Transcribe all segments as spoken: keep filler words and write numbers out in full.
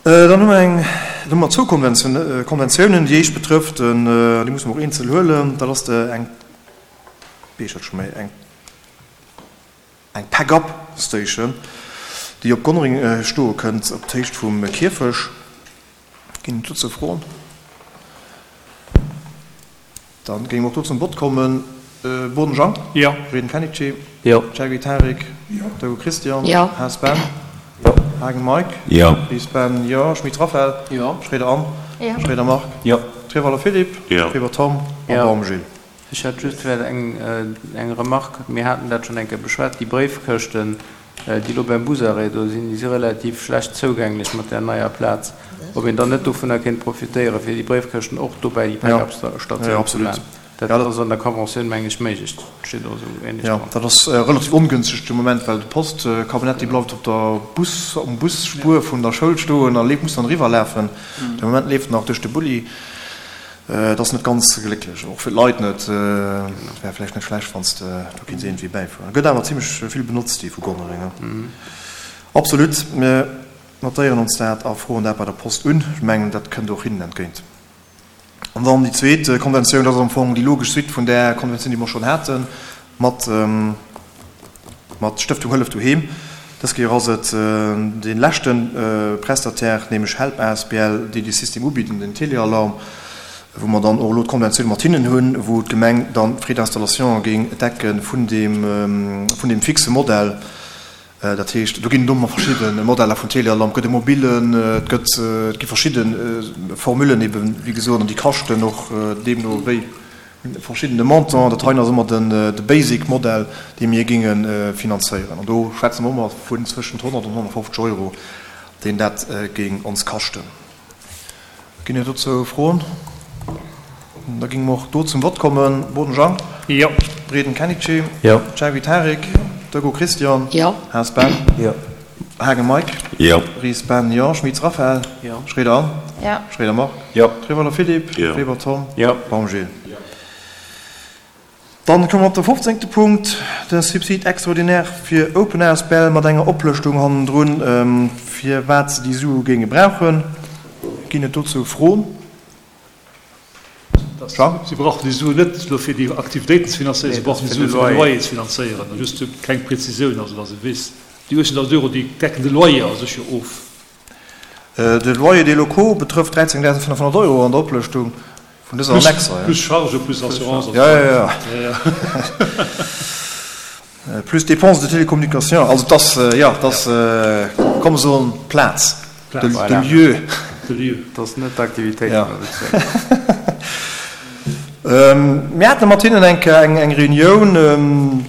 Dann hu mer eng, dann hu mer zwou Konventiounen. Déi éischt betrëfft, déi musse mer och eenzel huelen, dat ass eng, wéi heescht dat scho méi, eng, eng Pack-up Station, déi op Gonnereng stoe kënnt, op d'Héicht vum Kierfech. Ginn et dozou Froen? Da géinge mer och do zum Vott kommen. Boden Jean? Jo. Reden Kenichi? Jo. Gerry Tarik? Jo. Dego Christian? Jo. Haas Ben? Jo. Haagen Mike? Jo. Ries Ben? Jo. Schmit Raphaël? Jo. Schroeder Anne? Jo. Schroeder Marc? Jo. Trewalder Philippe? Jo. Weber Tom? Jo. A Baum Gilles. Ech hätt just vläicht eng, eng Remarque. Mir haten dat schonn eng Kéier beschwat, déi Bréifkëschten, déi elo beim Busarrêt do sinn, déi si relativ schlecht zougänglech mat där neier Plaz. Ob een dann net dovunner kéint profitéieren, fir déi Bréifkëschten och do bäi déi Pack-up-Statioun ze maachen. Dat ass an der Conventioun, meng ech, méiglech. Dat steet och esou ähnlech Jo, dran. dat ass relativ ongünstig de Moment, well de Postcabinet, dee bleift op der Bus, um Busspuer vun der Schoul stoen a leeft, muss dann eriwwerlafen. De Moment leeft en nach duerch de Bulli. Et ass net ganz glécklech, och fir d'Leit net. Et wär vläicht net schlecht, wann s de do kéints iergendwéi bäifueren. Gëtt awer zimlech vill benotzt, déi vu Gonnereng. Absolut. Mir notéieren ons dat a froen dat bei der Post un. Ech mengen, dat kënnt och hinnen entgéint. An dann déi zweet Konventioun, dat ass am Fong déi logesch Suite vun där Konventioun, déi mer schonn hate mat, mat Stëftung Hëllef Doheem. Dës Kéier ass et dee leschte Prestataire, nämlech Help asbl, déi dee System ubidden, den Telealarm, wou mer dann och elo d'Konventioun mat hinnen hunn, wou d'Gemeng dann d'Frais d'installation géing decke vun deem, vun deem fixe Modell. Dat heescht, do ginn et och nach verschidde Modeller vun Telealarm, et gëtt e mobilen, et gëtt, et gi verschidde Formulen eben, wéi gesot, an déi kaschten och deemno wéi verschiddene Montant. Dat heien ass ëmmer den, de Basic Modell, dee mir géinge finanzéieren. An do schwätze mer ëmmer vun zwëschent honnert an honnertfofzeg Euro, deen dat géing ons kaschten. Ginn et dozou Froen? Da géinge mer och do zum Vott kommen. Boden Jean? Jo. Reden Kenichi? Jo. Gerry Tarik? Dego Christian? Jo. Haas Ben? Jo. Haagen Mike? Jo. Ries Ben? Jo. Schmitz Raphaël? Jo. Schroeder Anne? Jo. Schroeder Marc? Jo. Trewalder Philippe? Jo. Weber Tom? Jo. Baum Gilles? Dann komme mer op de fofzéngte Punkt, de Subside extraordinaire fir Open Asbl mat enger Oplëschtung hannendrun, firwat se déi Sue géinge brauchen. Ginn et dozou Froen? Jean? Si brauchen déi Suen net elo fir déi Aktivitéiten ze finanzéieren, si brauchen déi Suen fir de Loyer ze finanzéieren. Just keng Präzisioun, also datt ee weess, déi uechtzéngtausend Euro, déi decken de Loyer a sech jo of. De Loyer des locaux betrëfft dräizéngdausendfënnefhonnert Euro an der Oplëschtung vun dëser Annexe. Plus Charge, plus Assurance. Jo, jo, jo. Plus Dépenses de télécommunication. Also et ass, jo, et ass, komm soen, Plaz, de lieu. De lieu. Et ass net d'Aktivitéit Ja. vun der Bezierk. Mir hate mat hinnen eng Kéier eng Reunioun,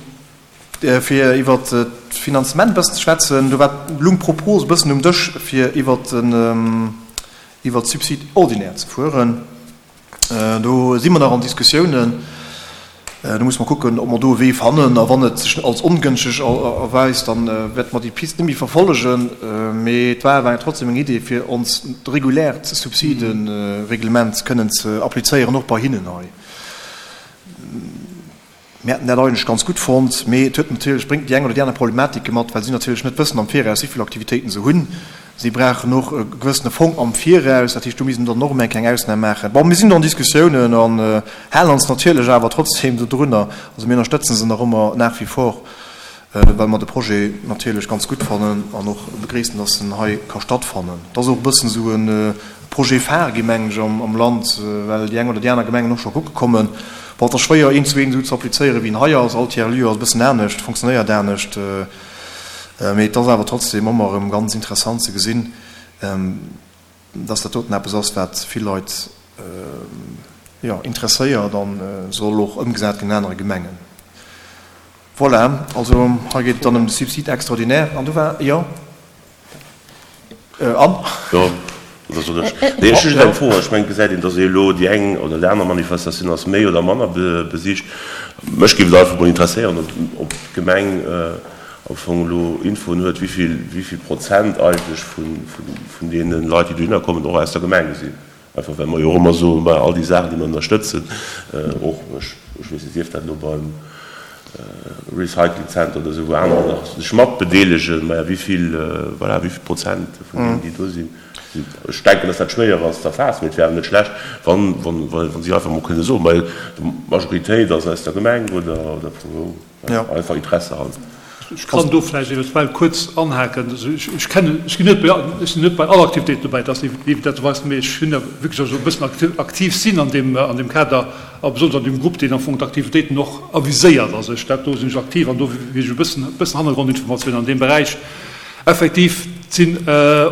fir iwwer d'Finanzement e bëssen ze schwätzen. Do war, lung d'Propos e bëssen um Dësch, fir iwwer den, iwwer d'Subside ordinaire ze fueren. Do si mer nach an Diskussiounen. Do musse mer kucken, ob mer do e Wee fannen. A wann et sech als ongënschteg erweist, da wäerte mer déi Pist net méi verfollegen. Mee et war awer trotzdem eng Idee, fir ons reguläert Subsidereglement kënnen ze applizéieren, och bei hinnen hei. Mir hätten dat eigentlech ganz gutt fonnt, mee et huet natierlech, bréngt déi eng oder déi aner Problematike mat, well si natierlech net wëssen am Viraus, wéi vill Aktivitéiten se hunn. Si brauchen och e gewëssene Fong am Viraus, dat heescht, do misst een dann och emol eng kleng Ausnam maachen. Bon, mir sinn do an Diskussiounen an halen ons natierlech awer trotzdem dodrunner. Also mir ënnerstëtzen se nach ëmmer nach wie vor, well mer de Projet natierlech ganz gutt fannen an och begréissen, dass en hei ka stattfannen. Et ass och e bëssen esou e Projet phare gi, mengen ech, am Land, well déi eng oder déi aner Gemengen och scho kucke kommen. Bon, et ass schwéier, eent zu eent esou ze applizéieren, wéi en hei ass. All Tiers-lieu ass e bëssen anescht, fonctionnéiert anescht. Mee et ass awer trotzdem ëmmer erëm ganz interessant ze gesinn, dass dat doten eppes ass, wat vill Leit, jo, interesséiert a soll och ëmgesat ginn an anere Gemengen. Voilà, also hei geet et dann ëm de Subside extraordinaire. An do war, jo, Anne? Jo, oder soll ech? Nee, ech hu just eng Fro. Ech mengen, et gesäit een, dass elo déi eng oder déi aner Manifestatioun ass méi oder manner besicht. Mech géif et einfach mol interesséieren, ob d'Gemeng am Fong elo Infoen huet, wéi vill Prozent eigentlech vun deene Leit, déi dohinner kommen, och aus der Gemeng sinn. Einfach well mer jo och ëmmer soen, bei all déi Saachen, déi mer ënnerstëtzen, och, ech weess net, sief dat elo beim Recycling Center oder esou, wou anerer nach sech mat bedeelegen, maja, wéi vill, voilà, wéi vill Prozent vun deenen, déi do sinn, Ech denken, dass dat schwéier ass ze erfaassen, mee et wär awer net schlecht, wann, wann, wann si einfach emol kënne soen, well d'Majoritéit ass aus der Gemeng oder, oder vu wou, einfach Interesse halber. Ech kann do vläicht eventuell kuerz anhaken. Also ech, ech kennen, ech ginn net bei, ech sinn net bei all Aktivitéit dobäi, dat ass evidenterweis, mee ech hunn wierklech also e bëssen aktiv sinn an deem, an deem Kader a besonnesch an deem Grupp, deen am Fong d'Aktivitéiten och aviséiert. Also ech, dat do sinn ech aktiv an do weess ech e bëssen, e bëssen Hannergrondinformatiounen an deem Beräich. Effektiv sinn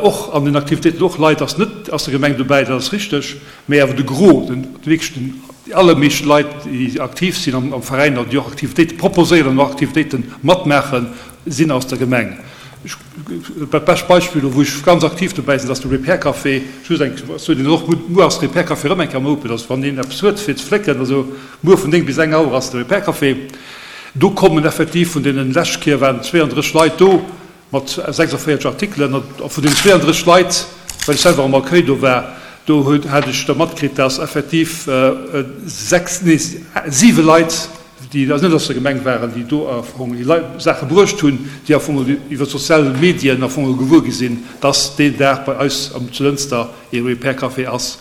och an den Aktivitéiten och Leit ass net aus der Gemeng dobäi, dat ass richteg, mä awer de Gros, den wierklech den, déi allermeescht Leit, déi aktiv sinn am am Veräin oder déi och Aktivitéite proposéieren an och Aktivitéite matmaachen, sinn aus der Gemeng. Ech, dat bescht Beispill, do wou ech ganz aktiv dobäi sinn, dat ass de Repair Café. Just eng, soen Ihnen och, muer ass de Repair Café erëm eng Kéier am Open, also wann een eppes huet fir ze flécken, also muer vun néng bis eng Auer ass de Repair Café. Do kommen effektiv vun deenen, lescht Kéier waren zweeëndrësseg Leit do, mat sechsundvéierzeg Artikelen, a vun deenen zweeëndrësseg Leit, well ech selwer am Accueil do war, do hat ech da matkritt, dass effektiv sechs, nee, siwe Leit, déi net aus der Gemeng waren, déi do am Fong déi Leit Saache bruecht hunn, déi am Fong iwwer d'sozial Medien am Fong gewuer gi sinn, dass deen Dag bei eis zu Lënster ee Repair Café ass.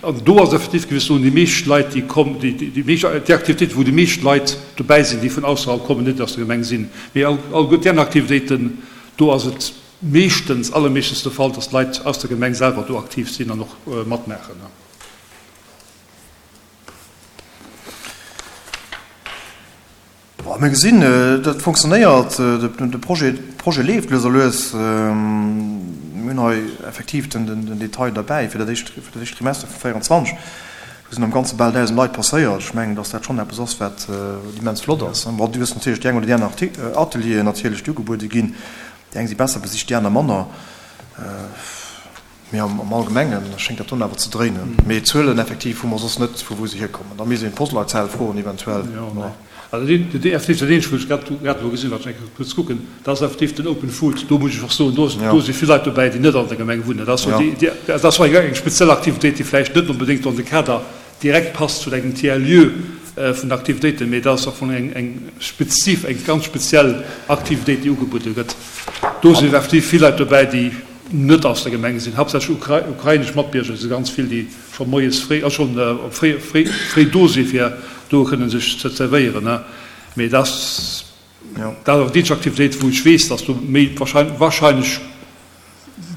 An do ass effektiv gewis soen, déi meescht Leit, déi kommen, déi, déi meescht, déi Aktivitéiten, wou déi meescht Leit dobäi sinn, déi vun ausserhalb kommen, net aus der Gemeng sinn. Mee all, alleguer déi aner Aktivitéiten, do ass et meeschtens, allermeeschtens de Fall, dass d'Leit aus der Gemeng selwer do aktiv sinn an och matmaachen. Bon, mir gesinn, dat fonctionnéiert, de Projet, Projet leeft lues a lues. Mir hunn hei effektiv den, den Detail derbäi fir dat éischt, fir dat éischt Trimester vu véierundzwanzeg. Do sinn am Ganze bal dausend Leit passéiert. Ech mengen, dass dat schonn eppes ass, wat immens flott ass. Bon, du hues natierlech déi eng oder déi aner Atelieren natierlech, déi ugebuede ginn. Déi eng si besser besicht, déi aner manner. Mee am Allgemenge schéngt dat dunn awer ze dréinen. Mee Zuelen effektiv hu mer soss net, vu wou se hierkommen. Da misst een d'Postleitzahl froen eventuell. Also dat effektiv, dat eenzegt, wou ech grad grad elo gesinn, wat ech eng Kéier kuerz kucken, dat ass effektiv den Open Food. Do muss ech och soen, do do si vill Leit dobäi, déi net an der Gemeng wunnen. Dat ass jo déi, dat ass eng speziell Aktivitéit, déi vläicht net onbedéngt an de Kader direkt passt zu engem Tiers-lieu vun Aktivitéiten, mee dat ass am Fong eng eng spezif, eng ganz speziell Aktivitéit, déi ugebuede gëtt. Do sinn effektiv vill Leit dobäi, déi net aus der Gemeng sinn, haaptsächlech ukrainesch Matbierger si ganz vill, déi scho moies fréi, also schonn fréi, fréi, fréi do si fir do kënnen sech ze zerwéieren. Mee dat ass, dat ass awer déi eenzeg Aktivitéit, wou ech weess, datt do méi wahrscheinlech, wahrscheinlech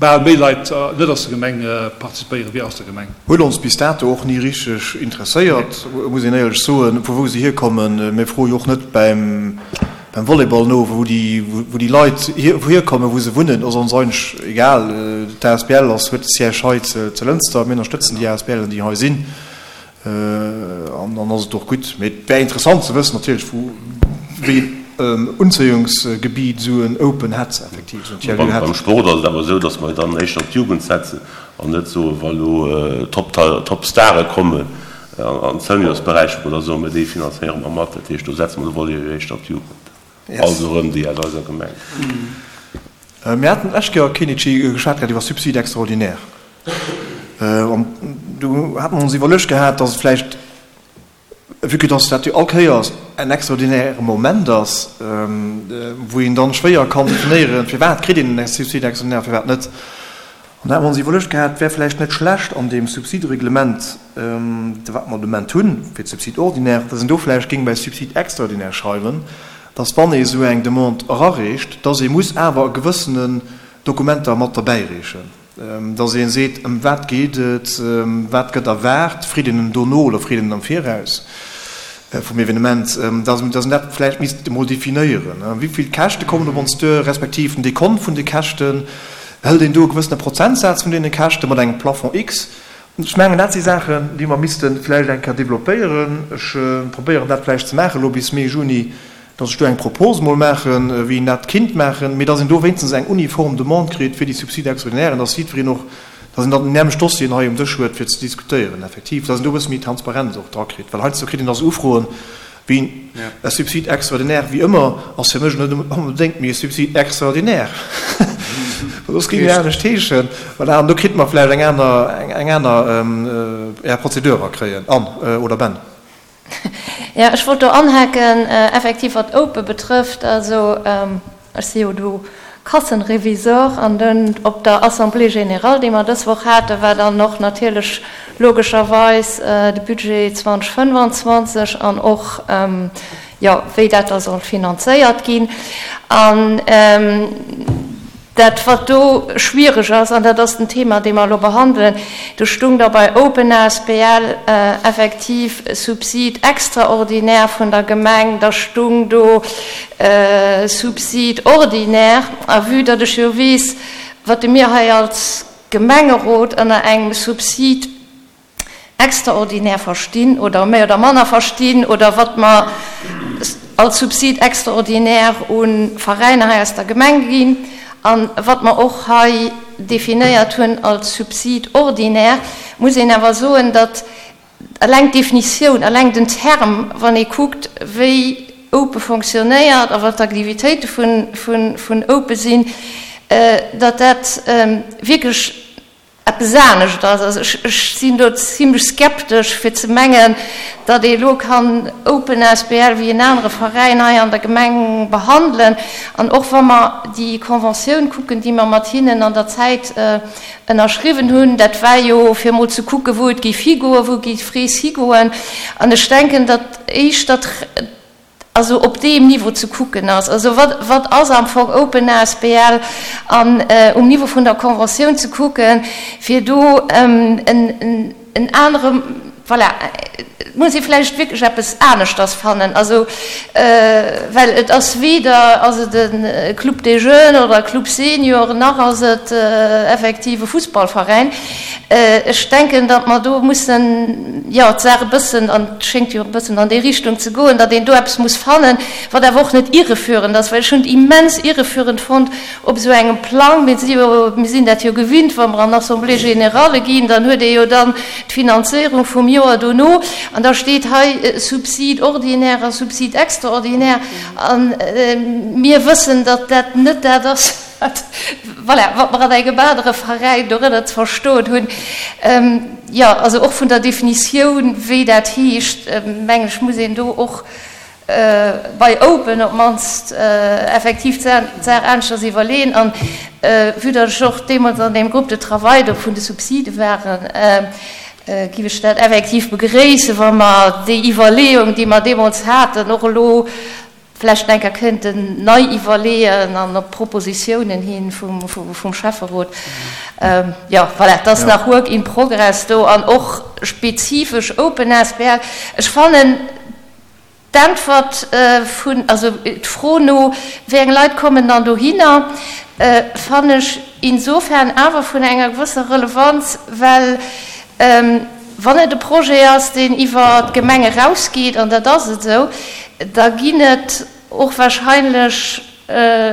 bal méi Leit net aus der Gemeng participéieren wéi aus der Gemeng. Huet ons bis dato och ni richteg interesséiert, muss een éierlech soen, vu wou se hierkommen. Mir froe jo och net beim Volleyball no, wou déi, wou déi Leit hier, wou hierkommen, wou se wunnen, ass ons eigentlech egal. D'A S B L ass, huet de Siège hei zu, zu Lënster. Mir ënnerstëtzen déi A S B Len, déi hei sinn. An dann ass et och gutt. Mee et wär interessant ze wëssen natierlech, wou, wéi een Unzéiungsgebiet esou en Open hätt, effektiv esou en Tiers-lieu hätt. Beim Sport ass et awer esou, datt mer dann éischter op d'Jugend setzen an net soen, wa lo Top-Stare kommen an Seniorsberäich, wou mer da soen, mä déi finanzéiere mer mat. Dat heescht, do setze mer de Volet jo éischter op d'Jugend, also erëm déi aus eiser Gemeng. Mir haten d'lescht Kéier, Kenichi, geschwat gehat iwwer Subside extraordinaire. An do hate mer ons iwwerluecht gehat, datt et vläicht, vue que datt dat jo all Kéiers en extraordinäre Moment ass, wou een dann schwéier kann definéieren, firwat kritt een en Subside extraordinaire, firwat net. An da hate mer ons iwwerluecht gehat, et wär vläicht net schlecht an deem Subsidereglement, wat mer de Moment hunn fir d'Subside ordinaire, datt een do vläicht géing bei Subside extraordinaire schreiwen, datt wann ee esou eng Demande erareecht, datt ee muss awer e gewëssenen Dokumenter mat derbäireechen. Dass ee seet, ëm wat geet et, wat gëtt erwaart, freet een en dono oder freet een en am Viraus vum Evenement, dass een dat vläicht misst emol definéieren. Wéi vill Käschte kommen op ons duer, respektiv den Dekont vun de Käschten, hëlt een do e gewëssene Prozentsaz vun deene Käschte mat engem Plafond X? Ech mengen, dat si Saachen, déi mer misste vläicht eng Kéier developpéieren. Ech probéieren dat vläicht ze maachen elo bis Mee, Juni, dass ech do eng Propose mol maachen, wéi een dat kinnt maachen, mee dass een do wéinstens eng uniform Demande kritt fir déi Subside extraordinairen, dass jiddwereen och, dass een dann déi nämlecht Dossieren hei um Dësch huet, fir ze diskutéieren effektiv, dass een do e bësse méi Transparenz och dra kritt, well heiansdo kritt een da sou Ufroen wéi e Subside extraordinaire, wéi ëmmer, ass fir mech net onbedéngt méi e Subside extraordinaire, well soss géing en anescht heeschen. Voilà, an do kritt mer vläicht eng aner, eng aner, ja, Prozedur erakréien. Anne oder Ben? Jo, ech wollt do anhaken, effektiv wat Open betrëfft. Also ech si jo do Kassenrevisor an dunn op der Assemblée générale, déi mer dës Woch haten, war dann och natierlech logescherweis de Budget zweitausendfënnefanzwanzeg an och, jo, wéi dat da soll finanzéiert ginn. An dat, wat do schwiereg ass, an dat ass den Thema, dee mer elo behandelen, do stung da bei Open asbl effektiv Subsid extraordinaire vun der Gemeng, da stung do Subsid ordinaire. A vue datt ech jo weess, wat de mir hei als Gemengerot ënner engem Subsid extraordinaire verstinn oder méi oder manner verstinn oder wat mer als Subsid extraordinaire u Veräiner hei aus der Gemeng ginn a wat mer och hei definéiert hunn als Subsid ordinaire, muss een awer soen, datt eleng d'Definitioun, eleng den Term, wann ee kuckt, wéi Ope fonctionnéiert a wat d'Aktivitéite vun Ope sinn, datt dat wierklech eppes anescht ass. Also ech, ech sinn do zimlech skeptesch, fir ze mengen, datt ee elo kann Open asbl wéi en anere Veräin hei an der Gemeng behandelen. An och wa mer déi Conventioun kucken, déi mer mat hinnen an der Zäit ënnerschriwwen hunn, dat war jo fir emol ze kucken, wou et géif higoen, wou géif d'Rees higoen. An ech denken, datt éischter also op deem Niveau ze kucken ass, also wat, wat ass am Fong Open asbl an um Niveau vun der Conventioun ze kucken, fir do en, en anere, voilà, et muss ee vläicht wierklech eppes aneschters fannen, also well et ass weder ass et e Club des Jeunes oder e Club Senior, nach ass et effektiv e Fussballveräin. Ech denken, datt mer do mussen, jo, d'Saach e bëssen, an et schéngt jo e bëssen an déi Richtung ze goen, datt een do eppes muss fannen, wat awer och net irreführend ass, well ech hunn et immens irreführend fonnt op esou engem Plang. Mir si jo, mir sinn dat jo gewinnt, wa mer an Assemblées générales ginn, dann huet ee jo dann d'Finanzéierung vum Joer dono an da steet hei Subside ordinaire a Subside extraordinaire a mir wëssen, datt dat net dat ass, wat, voilà, wat mer an engem anere Veräin dorënner ze verstoen hunn. Jo, also och vun der Definitioun, wéi dat heescht, mengen ech, muss een do och bei Open op d'mannst effektiv d'Saach aneschters iwwerleeën. An vue datt ech och deemools an deem Groupe de travail do vun de Subside waren, giff ech dat effektiv begréissen, wa mer déi Iwwerleeung, déi mer deemools haten, och elo vlächtt eng Kéier kënnten nei iwwerleeën an op Propositiounen hi vum Schäfferot. Jo, voilà, et ass nach work in progress do an och spezifesch Open asbl. Ech fannen d'Äntwert vun, also d'Fro no, wéi eng Leit kommen dann dohinner, fannen ech insofern awer vun enger gewësser Relevanz, well wann et e Projet ass, deen iwwer d'Gemeng erausgeet, an dat ass et esou, da ginn et och wahrscheinlech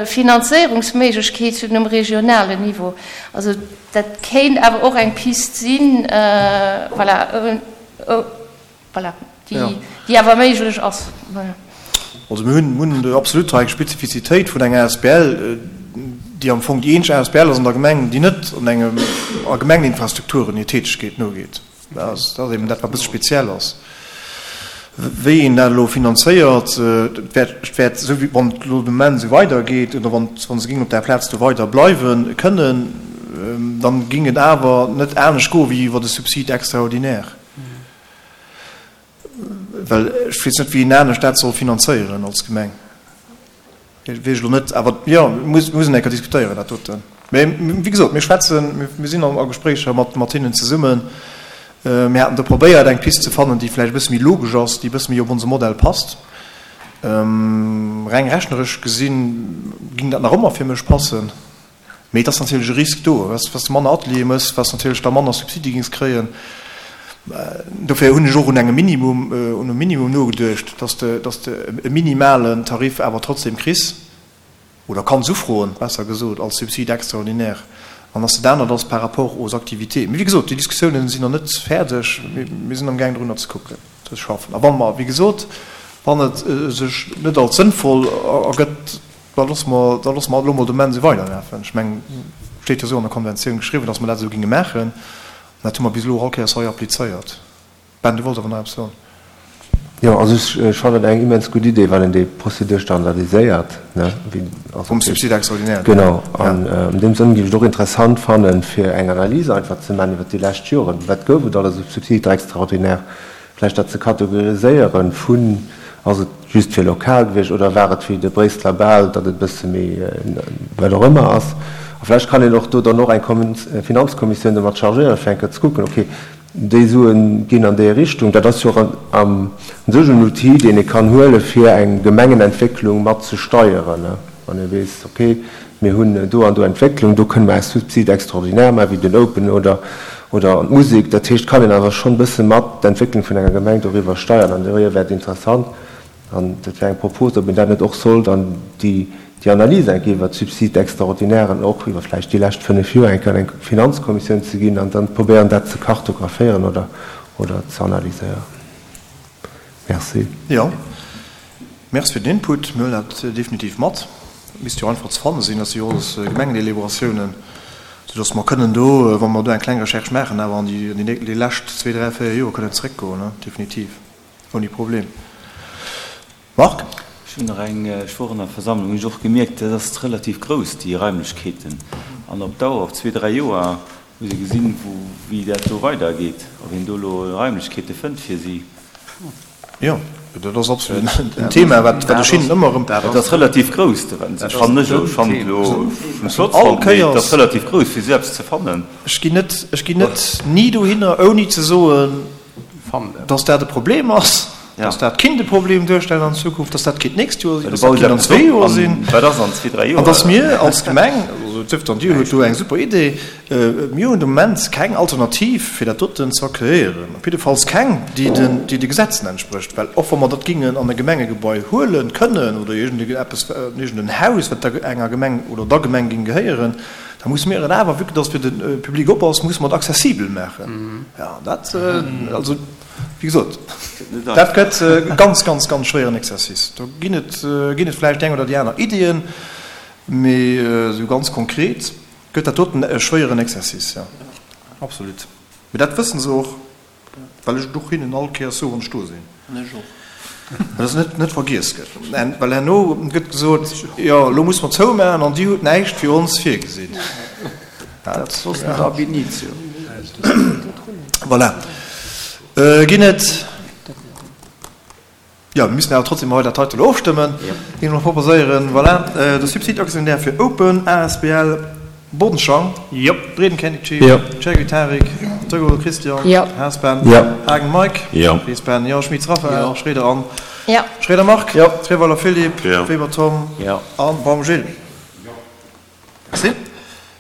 Finanzéierungsméiglechkeeten um regionalen Niveau. Also dat kéint awer och eng Pist sinn, voilà, voilà, déi, déi awer méiglech ass. Voilà. Also mir hunn, hunn absolut hei eng Spezifizitéit vun enger asbl, déi am Fong déi eenzeg asbl ass an der Gemeng, déi net an engem, a Gemengeninfrastrukturen hir Tätegkeet nogeet. Dat ass, dat ass eben dat, wat e bësse speziell ass. Wéi een dat elo finanzéiert, et wäert, et wäert esou wéi wann et elo de Moment esou weidergeet oder wann, wa se géingen op där Plaz do weider bleiwe kënnen, dann géing et awer net anescht goe wéi iwwer e Subside extraordinaire. Well ech weess net, wéi een anescht dat soll finanzéieren als Gemeng. Weess ech elo net, awer jo, muss, muss een eng Kéier diskutéieren, dat doten. Mä wéi gesot, mir schwätzen, mir sinn a Gespréicher mat, mat hinnen zesummen. Mir haten do probéiert, eng Pist ze fannen, déi vläicht e bësse méi logesch ass, déi e bësse méi op onse Modell passt. Reng rechneresch gesinn, géing dat nach ëmmer fir mech passen. Mee et ass natierlech e Risk do, wat s de manner Ateliere méchs, wat s natierlech da manner Subside géings kréien. Dofir hunn ech och un engem Minimum, un e Minimum nogeduecht, dass de, dass de e minimalen Tarif awer trotzdem kriss, oder kanns ufroen, besser gesot, als Subside extraordinaire, an dass dat anert ass par rapport aux activités. Mee wéi gesot, déi Diskussiounen sinn nach net fäerdeg. Mir sinn amgaang drunner ze kucken, ze schaffen. A wa mer, wéi gesot, wann et sech net als sënnvoll ergëtt, da loosse mer, da loosse mer elo mol de Moment esou weiderlafen. Ech mengen, et steet jo esou an der Konventioun geschriwwen, dass mer dat esou géinge maachen. An dat hu mer bis elo all Kéiers hei applizéiert. Ben, du wollts awer nach eppes soen. Jo, also ech fannen et eng immens gutt Idee, wann een déi Prozedur standardiséiert, ne, wéi, also Vum Subside extraordinaire. Genau. An an deem Sënn géif ech et och interessant fannen, fir eng Analys einfach ze maachen iwwert déi lescht Joren, wat gouf et alles u Subsides extraordinaires, vläicht dat ze kategoriséieren vun, ass et just fir lokal gewiescht oder war et wéi de Bréisseler Bal, datt et e bësse méi wat och ëmmer ass. A vläicht kann een och do dann och eng Finanzkommissioun domat chargéieren, fir eng Kéier ze kucken, okay, Déi Sue ginn an déi Richtung. Dat ass jo och a sech en Outil, deen ee kann huelen, fir eng Gemengenentwécklung mat ze steieren. Wann ee weess, okay, mir hunn do an do Entwécklung, do kënne mer e Subside extraordinaire maachen, wéi den Open oder an d'Musek. Dat heescht, kann een awer schonn e bësse mat d'Entwécklung vun enger Gemeng doriwwer steieren. An dohier wär et interessant, An dat wär eng Propos, ob een dat net och sollt an déi Analys eng Kéier iwwert d'Subsides extraordinairen och iwwer vläicht déi lescht fënnef Joer eng Kéier an eng Finanzkommissioun ze ginn an dann probéieren, dat ze kartographéieren oder, oder ze analyséieren. Merci. Jo, Merci fir den Input. Mir huelen dat definitiv mat. Dat misst jo einfach ze fanne sinn, dat si jo alles Gemengedelibératiounen, soudass mer kënnen do, wa mer do eng kleng Recherche maachen, awer an déi lescht zwee, dräi, véier Joer kënnen zeréckgoen, definitiv. Ouni Problem. Marc? Ech hunn nach eng, ech wor an der Versammlung, hunn ech och gemierkt, dat ass relativ grouss, déi Raimlechkeeten. An op Dauer, op zwee, dräi Joer, muss ee gesinn, wou, wéi dat do weidergeet, ob een do elo Raimlechkeete fënnt fir si. Jo, dat ass absolut en Thema, wat ech hinnen ëmmer erëm. Et ass relativ grouss, ech fannen ech, ech fannen et elo flott fonnt, mee et ass relativ grouss, fir esou eppes ze fannen. Ech ginn net, ech ginn net ni dohinner, ouni ze soen, dass dat e Problem ass, dass dat kinnt e Problem duerstellen an Zukunft, dass dat kinnt d'nächst Joer sinn, dass dat kinnt an zwee Joer sinn, an dass mir als Gemeng, also et sief dann, Dir hutt do eng super Idee, mir hunn de Moment keng Alternativ fir dat doten ze accueillieren, op jiddefalls keng, déi den, déi de Gesetzen entsprécht, well och wa mer dat gingen an e Gemengegebai huelen kënnen oder iergend eppes, iergend en Haus, wat der enger Gemeng oder der Gemeng géing gehéieren, Da musse mir et awer, vue que dass fir de Public op ass, musse mer et accessibel maachen. Jo, dat, also, wéi gesot, dat gëtt e ganz, ganz, ganz schwéieren Exercice. Do ginn et, ginn et vläicht déi eng oder déi aner Iddien, mee esou ganz konkret gëtt dat doten e schwéieren Exercice, jo, absolut. Mee dat wësse se och. Well ech et och hinnen all Kéiers soe wann ech do sinn. An ech och. Dass et net vergiess gëtt. Well herno gëtt gesot, jo elo musse mer zoumaachen an Dir hutt näischt fir ons virgesinn. Dat soss net ab initio. Voilà. Ginn et. Jo, mir müssen awer trotzdem hei dat heite elo ofstëmmen, géing ech mol proposéieren. Voilà, de Subside actionnaire fir Open asbl Bodenschang, Breeden Kenichi, Chergui Tarik, Dregol Christian, Haas Ben, Haagen Mike, Ries Ben, jo, Schmitz Raphaël, Schroeder Anne, Schroeder Marc, Treweiler Philippe, Weber Tom a Baum Gilles.